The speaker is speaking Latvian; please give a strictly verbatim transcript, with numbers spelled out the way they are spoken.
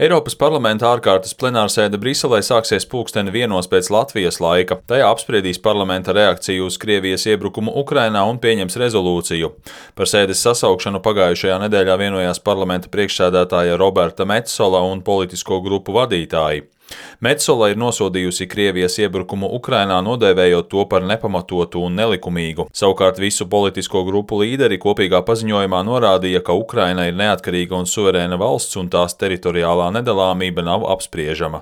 Eiropas parlamenta ārkārtas plenārsēde Briselē sāksies pulksteni vienos pēc Latvijas laika. Tajā apspriedīs parlamenta reakciju uz Krievijas iebrukumu Ukrainā un pieņems rezolūciju. Par sēdes sasaukšanu pagājušajā nedēļā vienojās parlamenta priekšsēdētāja Roberta Metsola un politisko grupu vadītāji. Metsola ir nosodījusi Krievijas iebrukumu Ukrainā, nodēvējot to par nepamatotu un nelikumīgu. Savukārt visu politisko grupu līderi kopīgā paziņojumā norādīja, ka Ukraina ir neatkarīga un suverēna valsts un tās teritoriālā nedalāmība nav apspriežama.